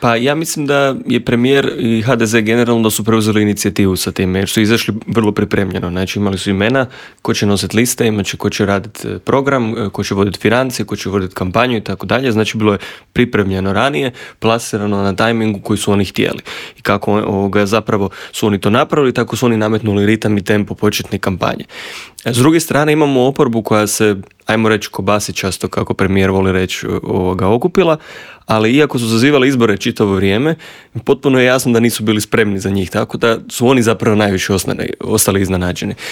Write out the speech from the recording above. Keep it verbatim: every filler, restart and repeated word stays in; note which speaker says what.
Speaker 1: Pa ja mislim da je premijer i ha de ze generalno da su preuzeli inicijativu sa time, jer su izašli vrlo pripremljeno. Znači imali su imena ko će nositi liste, imat će ko će raditi program, ko će voditi financije, ko će voditi kampanju i tako dalje. Znači bilo je pripremljeno ranije, plasirano na tajmingu koji su oni htjeli. I kako ovoga, zapravo su oni to napravili, tako su oni nametnuli ritam i tempo početne kampanje. S druge strane imamo oporbu koja se, ajmo reći, kobasičasto, kako premijer voli reći, ovoga, okupila, ali iako su zazivali izbore čitavo vrijeme, potpuno je jasno da nisu bili spremni za njih, tako da su oni zapravo najviše ostali, ostali iznenađeni.